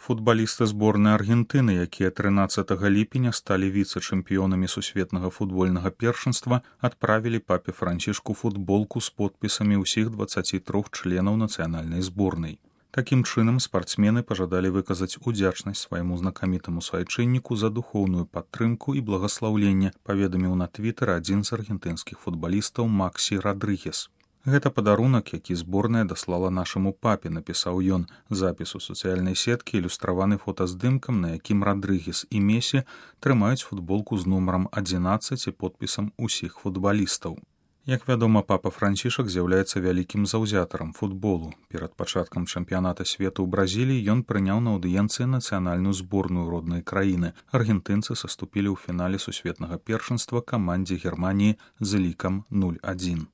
Футбалісты зборнай Аргентыны, якія 13 ліпеня сталі віцэ-чэмпіёнамі сусветнага футбольнага першынства, адправілі папе Францішку футболку з подпісамі ўсіх 23 членаў нацыянальнай зборнай. Такім чынам, спартсмены пажадалі выказаць удзячнасць свайму знакамітаму свайчынніку за духоўную падтрымку і благаслаўленне, паведаміў на твітары адзін з аргентынскіх футбалістаў Максі Радрыгес. Гэта падарунак, які зборная даслала нашаму папе, напісаў ён. Запіс у сацыяльнай сеткі ілюстраваны фотаздымкам, на якім Радрыгес і Месі трымаюць футболку з нумарам 11 і подпісам усіх футбалістаў. Як вядома, папа Францішак з'яўляецца вялікім заўзятарам футболу. Перад пачаткам чэмпіяната свету ў Бразіліі ён прыняў на аўдыенцыі нацыянальную зборную роднай краіны. Аргентынцы саступілі ў фінале сусветнага першынства камандзе Германіі з лікам 0-1.